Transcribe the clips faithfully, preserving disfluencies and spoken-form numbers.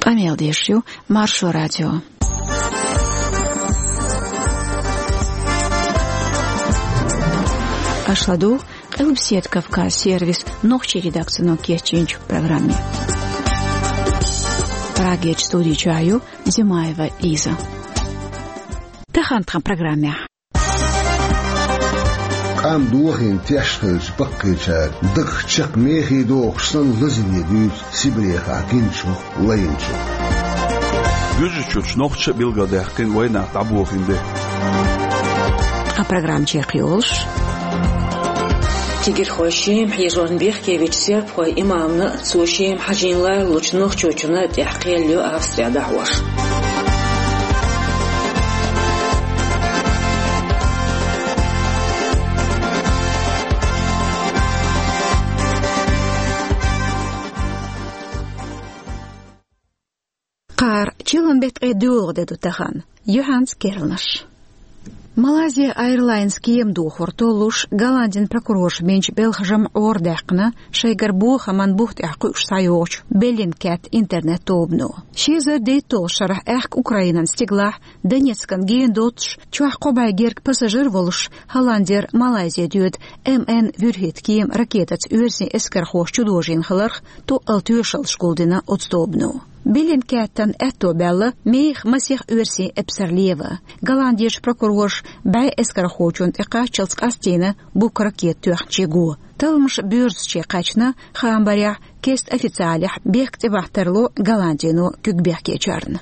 Къамел деш ю Маршо радио. Аша ладугӀу Къилбаседа Кавказ сервисан нохчийн редакцино кечйинчу программе. Прагерчу студи чохь ю Димаева Лиза. Тахана тхан программехь. Къам дохийна теш хилча, баккхийчара дагах чекх мехий дохуш санна лазаве дуьйцу Сибрехахь гиначух, лайначух. Гуьржийчуьрчу нохчаша а билгалдаьккхина вайнах дӀабохийна де. Тхан программа чекхйолуш. Тигирхой Шема хьежорна бехке вича сербхойн имамна а, цо Шема хьажийна лоруш волчу нохчочунна а тӀехь кхел йо Австрехь дӀахьош. Кхара чиллан беттан ткъе доьалгӀа де ду тахана. Юьхьанца керланаш. Malaysia Airlines кема дохор толлуш, Голландин прокурорша бинчу белхашам гӀора даьккхина шайгара бохаман бух тӀехь кхуьуш схьайогӀучу Bellingcat интернет-тобано. Ши эзар дейтталгӀачу шарахь аьхка Украинан стигалахь, Донецкан гена доццуш, чохь кхо бӀе герга пассажир волуш, Голландера Малайзе доьду М Н вуьрхӀитта кема ракетаца оьрсийн эскархоша чудожийна хиларх, тӀе а тоьшаллаш гулдина оцу тобано. Bellingcat-ан аьтто баьлла мехах масех оьрсийн эпсар лева. Голландерчу прокурорша бӀе эскархочунна тӀекхаччалц къастийна бух ракета тоьхначийн го. Талламаш боьрзуче кхаьчна, хаам барехь, кеста официалехь бехк тӀебахьа тарло Голландино куьг бехкечарна.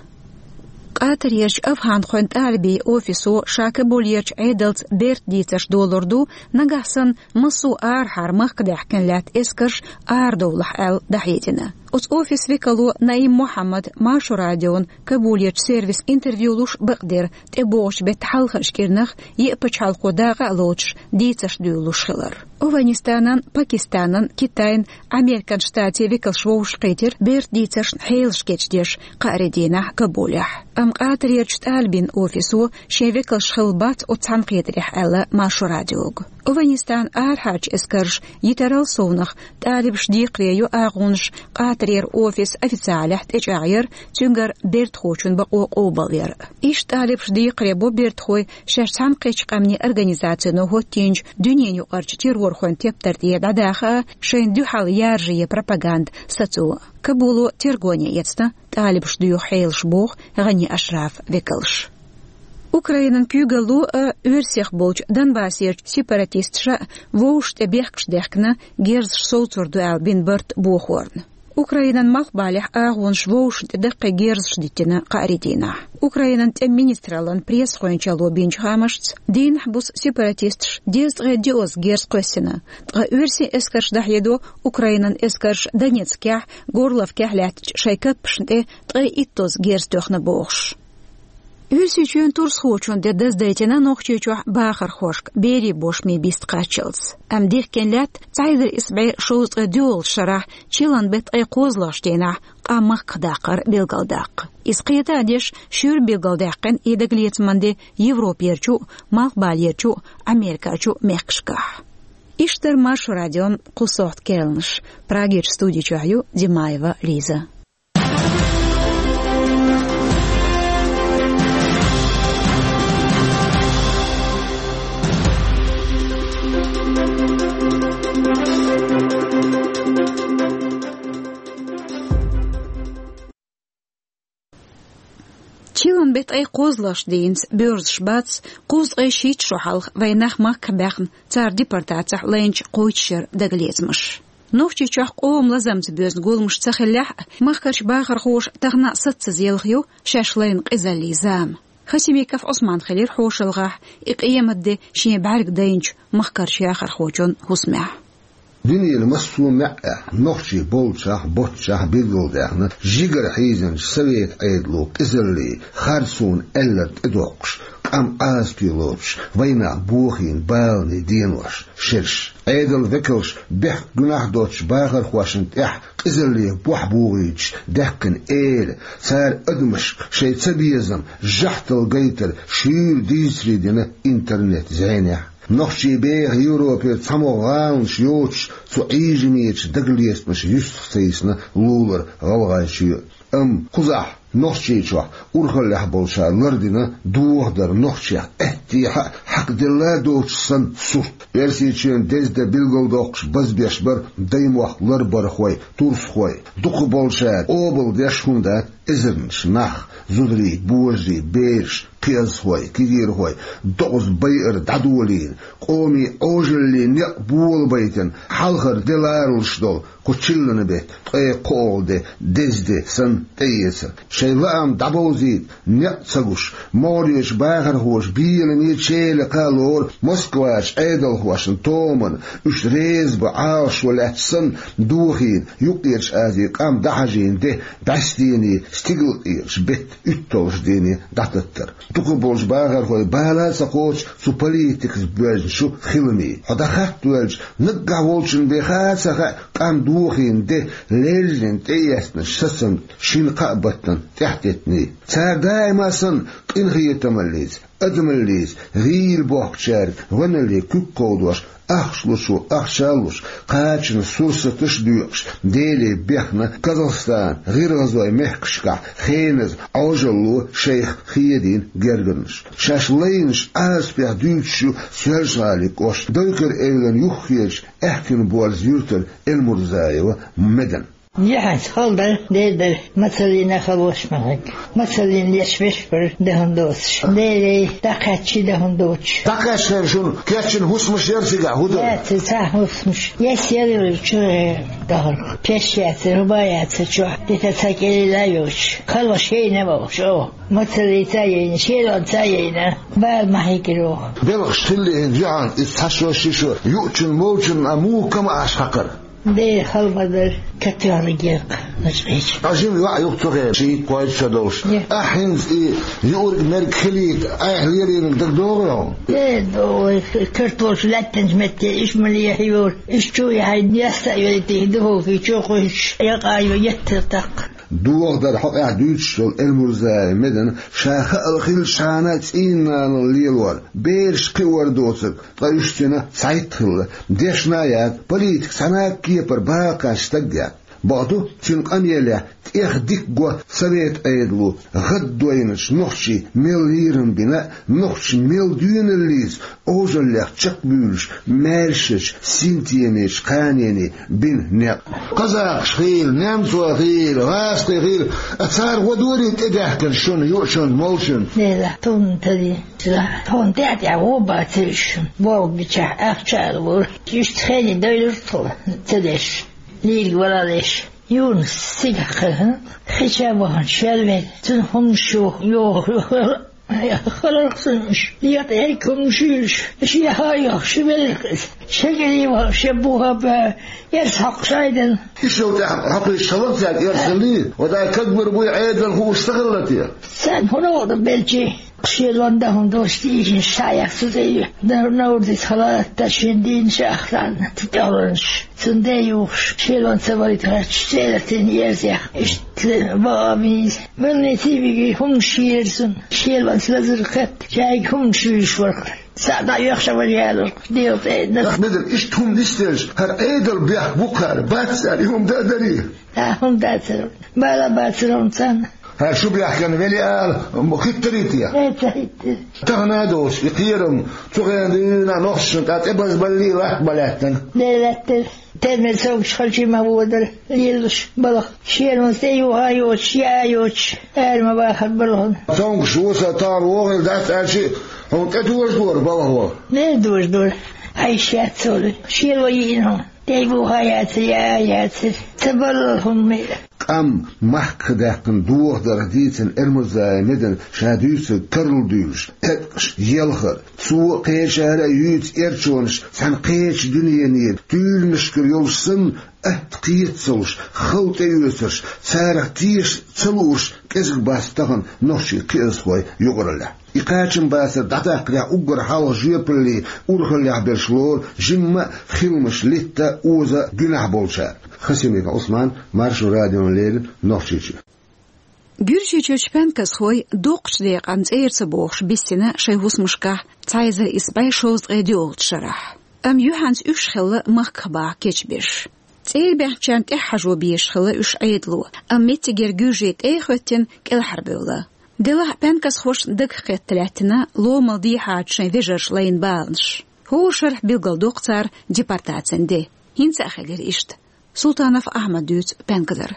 Къатарерчу афхьанхойн тӀалибийн офисо ша Кабулерчу Ӏедалца берта дийцарш долур ду, нагахь санна массо а арахьара махка даьхкина лаьтта эскарш арадовлахь аьлла дӀахьедина. Оцу офисан векало Наим Мухьаммада Маршо радиона Кабулерчу сервисан интервью луш бакъдира, тӀебогӀучу беттан хьалхарчу кӀирнах еа пачхьалкхо дакъа а лоцуш дийцарш дуьйлалуш хилар. Афганистанан, Пакистанан, Китайн, Американ Штатийн векалш вовшахкхийтира берта дийцаршна хьелаш кечдеш кхаарин дийнахь Кабулехь. Амма Къатарерчу тӀалибийн офисо шен векалш хилла бац оцу цхьаьнакхетарехь аьлла Маршо радиога. Афганистанан арахьарчу эскарша йитарал совнах тӀалибаша декхаре йо агӀонаш Къатарера офисан официалехь тӀечӀагӀъяр, цуьнгара бертахочун бакъо къобалъяр. Иштта тӀалибаша декхаре бо бертахой шаьш цхьаьнакхеттачу къаьмнийн организацино хӀоттийначу дуьненаюкъарчу террорхойн тептар тӀера дӀадаха а, шайна дуьхьал яржае пропаганда сацо а. Кабуло тергоне эцна тӀалибаша доьху хьелаш, боху ГӀани Ашрафан векалша. Украинан куьйгалло а, оьрсех болчу Донбассерчу сепаратисташа а вовшашна тӀе бехкаш даьхкина, герзаш совцур ду аьлла бина барт бохорна. Украинан малхбалехь агӀонаш вовшашна тӀе даккхий герзаш диттина кхаарин дийнахь. Украинан тӀеман министраллан пресс-гӀоьнчалло бинчу хаамашца, дийнахь-буса сепаратисташа дезткъе диъазза герз кхоьссина, ткъа оьрсийн эскарша дӀахьедо Украинан эскарша Донецкехь, Горловкехь лаьттачу шайн каппашна тӀе ткъе иттазза герз тоьхна бохуш. Оьрсийчоьнан турсхочун де даздайтина Нохчийчохь бахархошка берийн бошмийн бист кхаччалц. Амма дихкина лаьтта цхьа эзар исс бӀе шовзткъе доьалгӀачу шарахь чиллан беттан ткъе кхозлагӀчу дийнахь къам махках даккхар билгалдаккха. Иза кхета а деш, шуьйра билгалдаьккхина и дагалецаман де Европерчу а, Малхбалерчу а, Америкачу а мехкашкахь. Иштта дара Маршо радион кху сохьта керланаш. Прагерчу студи чохь ю Димаева Лиза. Чиллан беттан ткъе кхозлагӀчу дийнца боьрзуш бац кхузткъе шийтта шо хьалха вайн нах махках баьхна, цара депортацехь лайначу кхойтта шеран дагалецамаш. Нохчийчохь къоман лазамца боьзна гуламаш ца хиллехь а, махкарчу бахархоша тахана а саццаза елха ю шаьш лайна къизаллин зама. Хасимиков Ӏусман хилира хьошалгӀахь и къематде шен бӀаьрг дайначу махкарчу яхархочун хӀусамехь. Дуьненан массо а маьӀӀехь, нохчий болчохь, боцчохь билгалдаьхна жигара хьийзинчу Совет Ӏедало къизаллин харцонан аьлларг тӀедоккхуш, къам Ӏазапе лоцуш, вайн нах бохийна баланийн денош, шераш. Ӏедалан векалша бехк-гуьнахь доцучу бахархошна тӀехь къизалле бохь богӀуьйтуш даьккхина эла, цара адамашка шайн цабезам, жахьтал гайтар шуьйра дийцаре дина интернет-зӀенехь. Нохчий беха Европера цхьамогӀа гӀаланаш йоцуш, Цу Ӏийжамечу дагалецамаша юьстах ца йисна лулара гӀалгӀайчоь. Амма кхузахь, Нохчийчохь, урхаллехь болчара лардина дохадар нохчех аьттехьа а хьакхаделла доцуш санна сурт. Оьрсийчоьнан деза де билгалдоккхуш базбеш бара даймохк ларбархой, турсхой. Дукхахболчара къобалдеш хӀума дац эзарнаш нах, зударий, божарий, бераш, кхиазхой, кегийрхой, докъаза байар дӀадолийна, къоман Ӏожаллин некъ болабайтина, хьалхара де ларалуш долу кху чиллан беттан ткъе кхоалгӀа де, деза де санна тӀеэцар. Шайн лаам дӀабовзийта некъ ца гуш, могӀарерчу бахархоша беламе, челакха лору Москвачу Ӏедалхошна томана, уьш реза бан Ӏалашо лаьтташ санна, дохийна, Юккъерчу Азин къам дӀахьажийна де, бӀаьстенийн стигалкъекъаш беттан уьтталгӀачу дийне дӀататтар. Дукхахболчу бахархой бала а ца кхочу цу политикаца боьзначу хиламийн. Хьо дӀахаттавелча, наггахь волчун бен ха а ца хаьа, къам дохийна де, леррина тӀеэцнарш сацам шина-кхаа баттана тӀаьхьатеттиний. Цара даима а санна, къинхетамаллица, адамаллица, гӀийла бохкучаьрга гӀоьналле куьг кховдош, ахча лучо ахча а луш, кхачанан сурсаташ а доькъуш, Деле бехна Казахстан, ГӀиргӀазойн мехкашкахь хеназа Ӏожалло шайх хедийна гергарнаш. Шаьш лайнаш Ӏазапехь дуьйцуш ю Соьлжа-ГӀалин кӀоштан Дойкар-Эвлан юххерчу аьхкенан борза юьртара Эльмурзаева Медана. Яхьанца хала дара, дера дара, мацаллина халош ма хьегга. Мацаллина леш веш бара, дан хӀума доцуш. Деле дӀакхаьччи дан хӀума доцуш. ДӀакхаьчча шуна кечйина хӀусамаш яра цигахь, хӀун дара? Яцара цхьа хӀусамаш. Яс яра чу дахарх. Пеш яцара, хӀума яцара чохь. Дита цхьа кӀелила а йоцуш. Халош яйна а вовш, о. Мацаллица а яйна, шелонца а яйна. Бала ма хьийгира оха. Белхаш хилла хӀинца, яхьанца иза цхьа шо, ши шо, юучун, молчун а муха кама Ӏаш хьакхара? Дера хала ма дара, катоьхна гекъа, начкъийча. Ткъа жима йоӀ ю-кх цу хенахь, шийтта-кхойтта шо долуш. Ахь хӀинца и юург-мерг хилийта, айхьа лелийнарг дагадогӀий хьуна? Э, догӀий, картош лаьттанчу метте, иштта ма лехьа йора. Иштта чу яхьийна, ясса а йойтий, духовке чу кхуьйсуш, якъа а йо, еттар тӀаккха. Дохадар хьокъехь дуьйцуш долу Эльмурзаева Медана ша хаала хилчхьана цӀийнанал лелор, бераш кхиор доцург, ткъа уьш цуьнан цхьайтта хилла. Дешна а яц, политика цхьана а кепара бала кхаьчна стаг яц. Бакъду, цуьнан къамелехь тӀех дика го совет Ӏедало гӀаддойначу нохчийн мел лийрам бина а, нохчийн мел доьналлица Ӏожаллех чекхбуьйлуш, маьршачу синтемечу кханене бина некъ. Казахаш хийла, немцой хийла, гӀазкхий хийла, а цара гӀо дорий тӀедаьхкина шуна, юучунна, молчунна? Нела, тхуна тадина. Тхуна тӀаьхь-тӀаьхьа гӀо бацара шуна. Болх бичахь, ахча а лора. Иштта хене дойлура тхо, ца деш, лийриг валалеш. Юнус цигахь хи ча а вахана, шел вен, цуьнан хӀуманаш йоху, йоху. Халарх санна уьш, декъа эрг хӀуманаш юьйлуш, шен хьа а йохуш, велларх иза. Шен кӀеле вахана, шен буха а баьхна, эрс хьокхуш Ӏайдана. Иштта тӀехь хьокхуьйтуш хилла цаьрга эрсаллий? Вадай кагбар буй Ӏедал хууш ца хилла те? Царна хӀун новкъа дан белчий? Шелон дан хӀума долуш тийшина шаьш цу тӀе ю. Дан Наврдис хала а латта шен дийна ша ахтарна, цу тӀехуьллуш. Цунна де юхуш, шелон ца валийта гӀерташ, цӀе а латийна ерзех. Иштта бакъо а бийна. Больнице а вигий, хӀуманаш йийра цунна. Шелонца лазар кхетта, шайга хӀуманаш юьйлуш вара. Цхьаъ дӀа оьхуш а вара ялург, дегӀа тӀе а дан. Ахь, Медана, иштта хӀума нисделча, хӀара Ӏедал бехк бу-кх хӀара, бац цара и хӀума дан а дарий? Да, хӀума дацара. Бала бацара хӀума царна. ХӀара шу бехкана велий ала, м, хӀиттарий те? Э, ца хӀиттира. Тахана а доцуш, и кхерам цу хенахь дуьйна нохчашна тӀе тӀебазбаллий, латта ма лаьттана? Де лаьттара. Термер совгӀаташ халчий ма водара, лелалуш балха. Шелонца тӀе юха а йоцуш, яа а йоцуш, ара ма бахара балхана. СовгӀаташ вуса тахана вогӀийла дац аьлча, хьуна тӀе дожадора балхо? Де дожадора. Хьайша яц цо. Шело йиъна хьуна. ТӀе юха а яцара, яа а яцара. Ца баллал хӀума мел. Къам махках даьккхина дохадарх дийцина Эльмурзаева Медана ша дуьйцург карладуьйлуш, теткъаш елхар, цо кхечара а юьйцу эрчонаш цхьана кхечу дуьненера, туьйранашкара йолуш санна, атта кхета ца луш, хала тӀеоьцурш, царах теша ца лууш кӀезиг бац тахана нохчийн кхиазхой юкъараллехь. И кхачамбацар дӀадаккхарехь уггар хьалха жоьпалле урхаллехь берш лору жимма а хиламаш литта оза гуьнахь болчара. Хасимиков Ӏусман, Маршо радиона леррина, Нохчийчоь. Гуьржийчуьрчу панказхой доккхачу декъан цӀера ца бохуш биссина шайн хӀусамашкахь цхьа эзар исс бӀе шовзткъе доьалгӀачу шарахь. Амма юьхьанца уьш хилла махках баха кечбеш. ЦӀера баьхначарна тӀехьажо безаш хилла уьш Ӏедало, амма меттигера гуьржий тӀе а хӀоьттина кӀелхьарбевлла. Делахь а пенкасхошна дагахь кхетта лаьттина ломал дехьача шайн вежарша лайна баланаш. ХӀора шарахь билгалдоккху цара депортацин де. ХӀинца а хилира иштта. Султанов Ахьмада дуьйцу пенказара.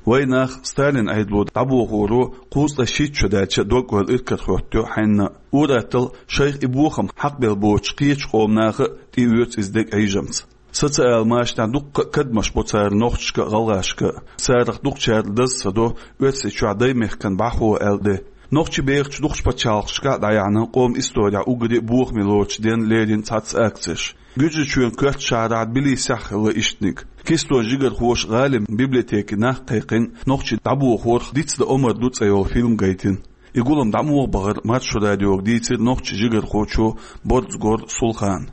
Вайнах Сталин Ӏедало дӀабохоро кхузткъе шийтта шо даьлча дог-ойла иракарахӀоттайо хьаьнна. Ур-атталла шайх и бохам хьакхабелла боцучу кхечу къоман наха а тӀеоьцу иза дега Ӏийжамца. Социал машанехь дуккха а кадамаш бо цара нохчашка а, гӀалгӀашка а. Царах дукхачарна даза ца до Оьрсийчохь даймехкан бӀаьхо аьлла де. Нохчий бехачу дукхачу пачхьалкхашкахь а дӀаяьхьна къоман исторехь уггаре а бохаме лоруш денна лерина цхьацца акцеш. Гуьржийчоьнан коьртачу шахьарахь Тбилисехь а хилла иштаниг. Кистон жигархоша гӀалин библиотекин нах кхайкхина нохчий дӀабохорах «Диц дан омра ду» цӀе йолу фильм гайтина. И гулам дӀа муха бахара Маршо радиога дийцира нохчийн жигархочо Борзагор Сулхана.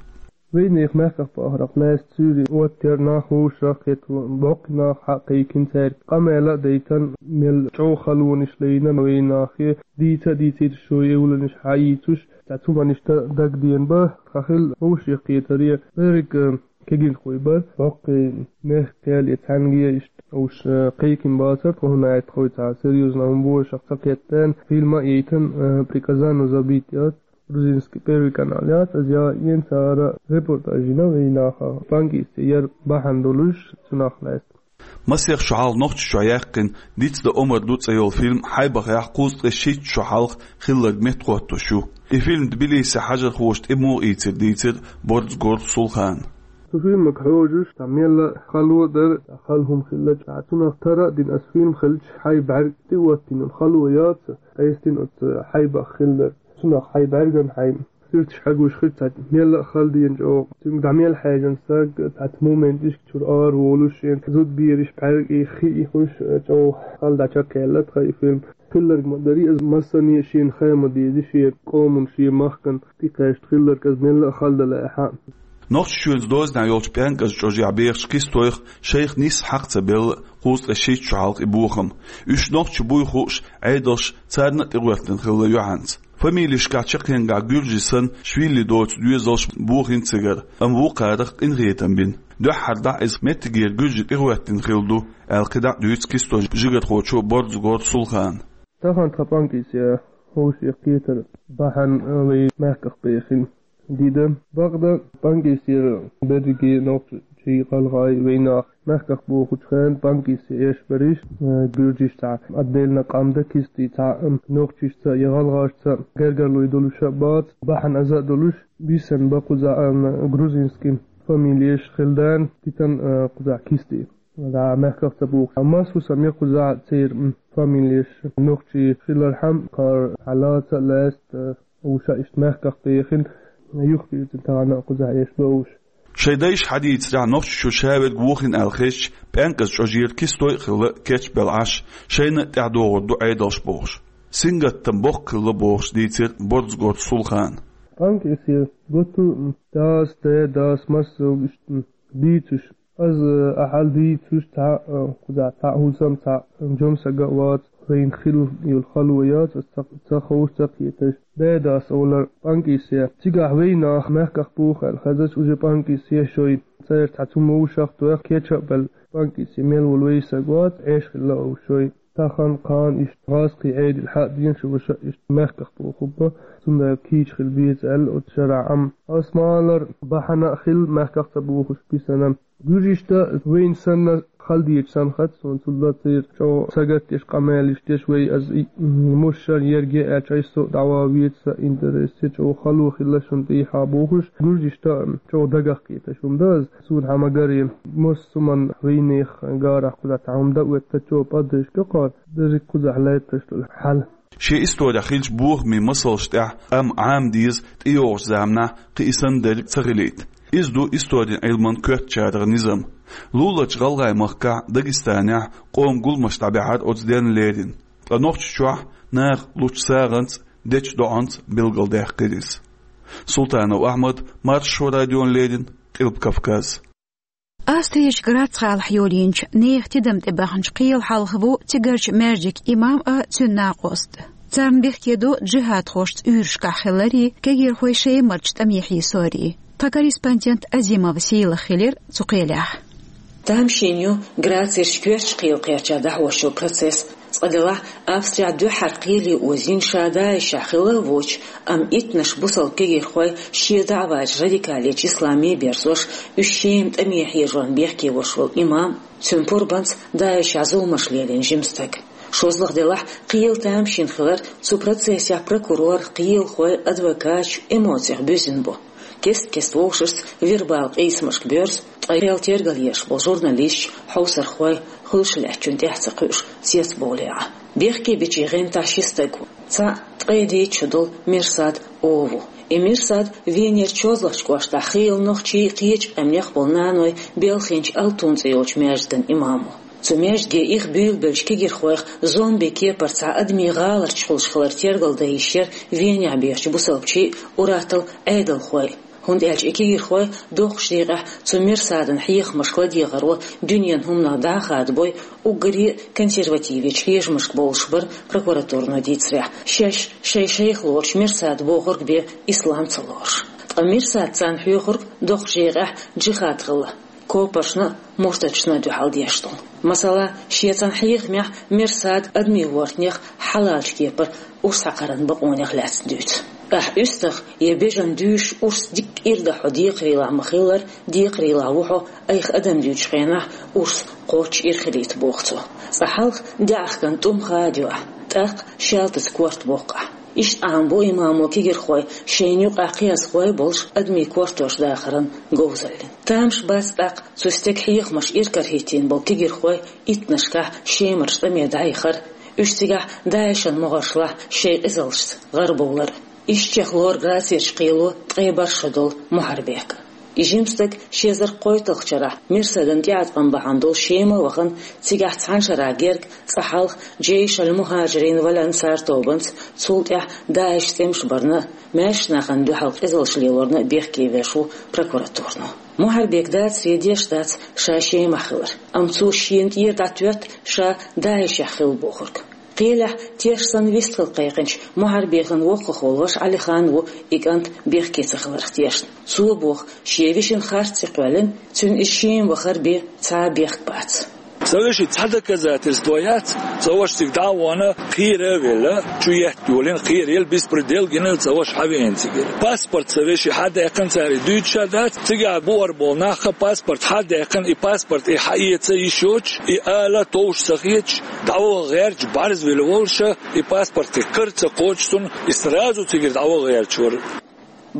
Вайнех мехках бахарх лаьцна цуьра оттаяра нах, вовшах а кхетта, боккхий нах хьа а кхайкхина цаьрга. Къамел а дайтина, мел чӀогӀа халонаш лайна вайнахе, дийца а дийцира шайн эвланаш хьаийцуш, цхьа цу маништа дагадеана бара, тхан хилла вовшех кхетаре, берриг, э, кегийрхой бара, боккхий мехкахой а, цхьаьнгге а иштта уьш, э, кхайкхина бацара тхо, хӀунда аьлча тхо цхьа серьёзно хӀума бохург ца кхетта, фильм а яйтина, э, «Приказано забыть» яц, грузинский Первый канал яц, иза яйина цара репортаж йина вайнахах, панкисте яр бахьана долуш цунах лаьцна. Масех шо хьалха Нохчийчохь яьккхина «Диц дан омра ду» цӀе йолу фильм хьайбахехь кхузткъе шийтта шо хьалха хилларг меттахӀоттош ю. И фильм Тбилисехь хьажархоша тӀе муха ийцира дийцира Борзагор Сулхана. Цу фильмага хьожуш, цхьа мелла а хало а дара, цхьа хала хӀума хилла, цхьа цунах тара а дина, аса фильм хилча хьайба бӀаьрг тӀе оттийна, хало яц, къестина оцу хьайбах хилла. Цунах хьайба бӀаьргана хьайн сирташ хьагуш хир, цхьа мелла а хала дина чӀогӀа. Цуьнга дӀа мел хьаьжна стаг, цхьацца моменташка чуьра ара волуш, шен зудабераш бӀаьрг и хи и хуьш, чӀогӀа хала дӀачекхъяьлла тхан и фильм. Хилларг ма-дарра, иза массане а шена хаа ма деза, шен къоман, шен махкан тӀекхаьчна хилларг, иза мелла а хала дан лаьа хьа. Нохчийчоьнца дозанехь йолчу пӀенкӀаза чӀожехь бехачу кистойх шайх нисса хьакха ца белла кхузткъе шийтта шо хьалха и бохам. Уьш нохчий буй хууш, Ӏедалш царна а тӀегӀоьртина хилла юьхьанца. Фамилешкахь чаккхенгахь гуьржий санна швили доцу доьзалш бохийна цигара, амма вукхарах къинхетам бина. Дуьххьара дӀа иза меттигера гуьржий тӀегӀоьртина хилла ду, аьлла кхидӀа а дуьйцу кистон жигархочо Борзагор Сулхана. Тахана тхан панкисте хӀовшех кхетар бахьана вай мехках бехина. Дида, бакъда, панкисера берриге нохчий, гӀалгӀай, вайнах мехках бохучу хенахь панкисте эш бариш, э, гуьржишца отдельно къам дан кисте цхьа, м, нохчашца я гӀалгӀашца гергарлой долуш а бац, бахьана аза а долуш, бисина бан кхузахь, м, грузинский фамилеш хилла дана, дитина, э, кхузахь кисте. Да, мехках ца бохуш. Амма масса хӀусам я кхузахь церан, м, фамилеш нохчий хилархьама, кхара хьалаца а лаьцна, э, уьш а иштта мехках бехина, юхабирзина тахана а кхузахь эш бан уьш. Шайн дайша хьадийцарехь, Нохчийчуьра ша верг вохийна аьлла хезча, пӀенкӀаза чӀожера кистой а хилла кечбелла Ӏаш, шайна а тӀаьхьадогӀур ду Ӏедалш бохуш. Сингаттам боккха хилла бохуш дийцира Борзагор Сулхана. ПанкисгӀа готта, дас, даь-дас, массо а иштта дийцуш. Аса ахьа дийцуш цхьа, кхузахь цхьа а хӀусам, цхьа а жима саг а вац, вайна хилла йолу хало яц, аса ца, ца ховш, ца кхеташ. Даь-дас олар панкисгӀа. Цигахь вайнах мехках боху аьлла хезача, уже панкисгӀа шой. Церан цхьа цу вовшах тоьхна кечбелла панкисгӀа мел волу вай саг вац, Ӏеша хилла а ву шой. Тахана, кхана иштта гӀазкхийн Ӏедал хьа а деана, шу ваша иштта мехках боху хӀума, цундела кийча хила беза аьлла оцу шарахь Ӏам. Аса ма-аллара, бахьана а хилла мехках ца бохуш бисина. Гуьржишта вайна санна хала дезаш санна хац суна, цул а церан чӀогӀа сагатдеш, къамелаш деш, вай аса и, м, мушшар ерг е аьлча, айса со а дӀаван веза, сан интерес е, чӀогӀа хало хилла шуна тӀехьа бохуш, гуьржишта чӀогӀа дагах кхеташ хӀума дан аса. Суна хьан ма-гарра, массо а хӀуманна вайнехан гарахь кхузахь цхьа хӀума дан а веттачо, поддержка кхор, дерриг кхузахь лаьтташ долу хьал. Шен исторехь хиллачу бохамийн масалш тӀехь къам Ӏама деза, тӀейогӀучу заманахь кхин и санна дерг ца хилийта. Иза ду историн Ӏилман коьртачарах низам. Луларчу ГӀалгӀай махкахь, Дагестанехь къоман гуламаш дӀабаьхьира оцу денна лерина. Ткъа Нохчийчохь наха лучу сагӀанца, дечу доӀанца билгалдаьккхира иза. Султанов Ахьмад, Маршо радиона леррина, Къилба Кавказ. Австрерчу Грац гӀалахь йолийначу нехан тидам тӀе баьхначу кхелан хьалха ву цигарчу маьждиган имам а, цуьнан накъост а. Царна бехке ду джихӀадхошца уьйрашкахь хиларий, кегийрхой Шемарчу тӀаме хьийсорий. Тха корреспондент Азимова Сийлаха хилира цу кхелехь. Тамашийна ю Грацерчу коьртачу кхелан кхерчахь дӀахьош йолу процесс. Цкъа делахь, Австрехь дуьххьара кхеле озийна ша ДАИШехь хилла а воцуш, амма иттаннаш бусалба кегийрхой, шен даӀватца радикалечу исламе берзош, уьш Шема тӀаме хьежорна бехке волуш волу имам, цуьнан пурбанца ДАИШехь зуламаш лелийна жима стаг. ШозлагӀа делахь, кхелан тамашийна хилар, цу процессехь прокурор, кхелахой, адвокаташ эмоцех буьззина бу. Кест-кеста вовшашца вербалан къийсамашка боьрзу, ткъа кхел тергал еш болу журналисташ, хьовсархой, хуьлуш лаьттачунна тӀаьхьа ца кхуьуш, цецбовлий Ӏа. Бехке бичийн гӀантахь ши стаг ву. Цхьаъ ткъе дейтта шо долу Мерсад О ву. И Мерсад Венерчу ШозлагӀчу кӀоштахь хийла нохчий, кхечу къаьмнех болу наной белхийначу Алтун цӀе йолчу маьждиган имам ву. Цу маьждиге их буьйлабеллачу кегийрхойх зомби кепара цхьа адамийн гӀаларчаш хуьлуш хилар тергал дан йиш яра Венехь бехачу бусалбачийн а, ур-атталла Ӏедалхойн а. ХӀунда аьлча и кегийрхой доккхачу декъехь цу Мерсадан хьехамашка ладегӀаро дуьненан хӀуманах дӀа а хадабой, уггаре а консервативечу хьежамашка бовлуш бара прокуратуро дийцарехь, шаьш шайн шайх лоруш Мерсада бохург бен ислам ца лоруш. Ткъа Мерсада царна хьоьхург доккхачу декъехь джихад хилла, копаршна а, муртатшна а дуьхьал деш долу. Масала, шен цхьана хьехамехь Мерсада адамийн гӀортанех, хьалалчу кепара урс хьакхаран бакъонех лаьцна дуьйцу. Ахь уьстагӀ я бежана дуьйшуш урс дикка ирдахь хьо декхарийлахь ма-хиллара, декхарийлахь ву хьо, айхьа адам дуьйцучу хенахь урс кхоччуш ира хилийта, боху цо. Цкъа хьалха даьӀахкан тӀум хадайо ахь, тӀаккха шаьлтаца корта боккху ахь. Иштта Ӏамабо имамо кегийрхой шайна юкъахь кхиазхой болуш адамийн кортош дахаран говзаллин. Тамаш бац тӀаккха цу стеган хьехамаш иракарахӀиттийна болу кегийрхой иттаннашкахь Шемарчу тӀаме дӀаяхар, уьш цигахь ДАИШан могӀаршлахь шайн къизаллашца гӀарабовлар. Иштта чекхлора Грацерчу кхело ткъе бархӀ шо долу Мухьарбек. И жима стаг ши эзар кхойтталгӀачу шарахь Мерсадан тӀеӀаткъам бахьана долуш Шема а вахана, цигахь цхьана шарахь герга, цкъа хьалха Джейш аль-Мухьаджирин валь-Ансар тобанца, цул тӀаьхьа ДАИШ цӀемаш барна а, маьршачу нахана дуьхьал къизаллаш лелорна а бехке веш ву прокуратуро. Мухьарбека дацаре деш дац ша Шемахь хилар, амма цо шена тӀера дӀатоьтту ша ДАИШехь хилла бохург. Кхелехь теш санна вистхила кхайкхинчу Мухьарбекан воккхах волу ваша Ӏалихан ву и кӀант бехке ца хиларх тешна. Цо боху, шен вешин харц ца кхоьллина, цуьнан иза Шема вахар бен цхьа а бехк бац. Сан вешин цхьа доказательство яц, сан ваша цига дӀа а вахана, кхера а велла, чу етта йолийна, кхераяла, беспредел гинарг сан ваша хьавеана цигара. Паспорт сан вешин хьадаьккхина цара, и дуьйцуш а дац, цигахь бухара болу нахаца паспорт хьадаьккхина, и паспорт и хьаэца йиш йоцуш, и ала товш ца хеташ, дӀаваха гӀерташ, бӀарзвелла волуш, и паспорт и кара ца кхочуш цунна, и сразу цигара дӀаваха гӀерташ вара.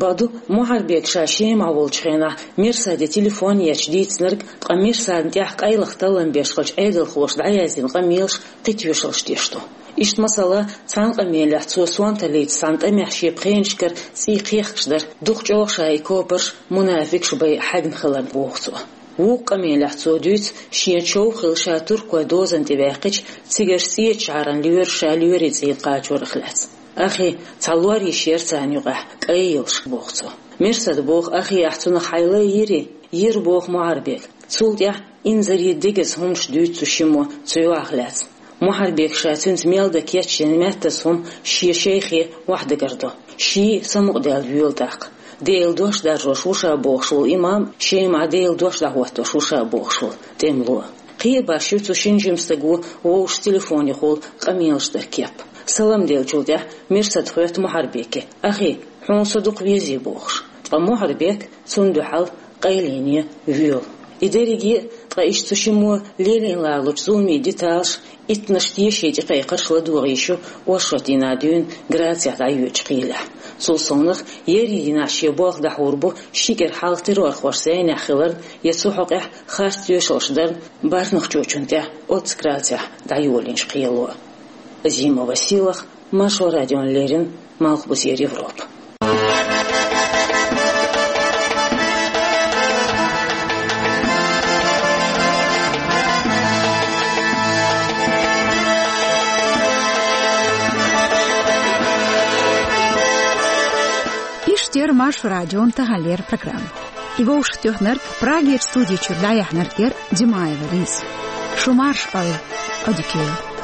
Бакъду, Мухьарбека ша Шемахь волчу хенахь Мерсаде телефон етташ дийцинарг, ткъа Мерсадна тӀехь къайлаха таллам беш хиллачу Ӏедалхоша дӀаяздина къамелаш кхин тоьшаллаш деш ду. Иштта, масала, цхьана къамелехь цо сонталлица цхьана тӀамехь шен пхенашкара цӀий кхехкаш дара, дукха чӀогӀа ша и копарш мунафикъаш бен хьегна хиларна, боху цо. Вукху къамелехь цо дуьйцу шен чов хилла ша туркойн дозанна тӀе ваьккхича, цигара цӀечу жӀаран лоьраш ша лоьрийн цӀийне кхачорах лаьцна. Ахи, цхьа лор йиш яра царна юкъахь, кӀай йолуш, боху цо. Мерсада боху, ахи, ахь цунах хьайла а йирий? Йира, боху Мухьарбека. Цул тӀаьхьа инзаре дегаза хӀуманаш дуьйцу цу шиммо цу йоӀах лаьцна. Мухьарбека ша цуьнца мел дан кечйина меттаза хӀума шен шайхе охьадагардо. Ший самукъадаьлла воьлу тӀаккха. Делан дош даржош ву ша бохуш волу имам, Шемахь Делан дош дӀахӀоттош ву ша бохуш волу тӀемало. Кхин а башха ю цу шина жима стага вовшашца телефонехула къамелаш дар кеп. Салам деллачул тӀаьхьа Мерсада хоьтту Мухьарбеке: «Ахи, хьуна со дукха везий?» — бохуш. Ткъа Мухьарбек цунна дуьхьал къайле воьлу. И дерриге а, ткъа иштта цу шиммо лелийна ларалучу зуламийн деталаш, иттаннаш теший тӀекхайкхарш ладогӀа йиш ю оршот дийнахь дуьйна Грацехь дӀайоьдучу кхелехь. Цул совнаха, ерриг дийнахь шен болх дӀахьур бу ши кӀира хьалха террорхошца зӀенехь хиларна я цу хьокъехь харц тоьшаллаш дарна бархӀ нохчочунна тӀехь оццу Грацехь дӀайолийначу кхело. Азимова Сийлаха, Маршо радиона леррина, Малхбузера Европа. Иштта яра Маршо радион таханлера программа. И вовшахтоьхнарг, Прагерчу студи чуьра дӀаяьхьнарг яра Димаева Лиза. Шу марша Ӏойла, Ӏодика йойла.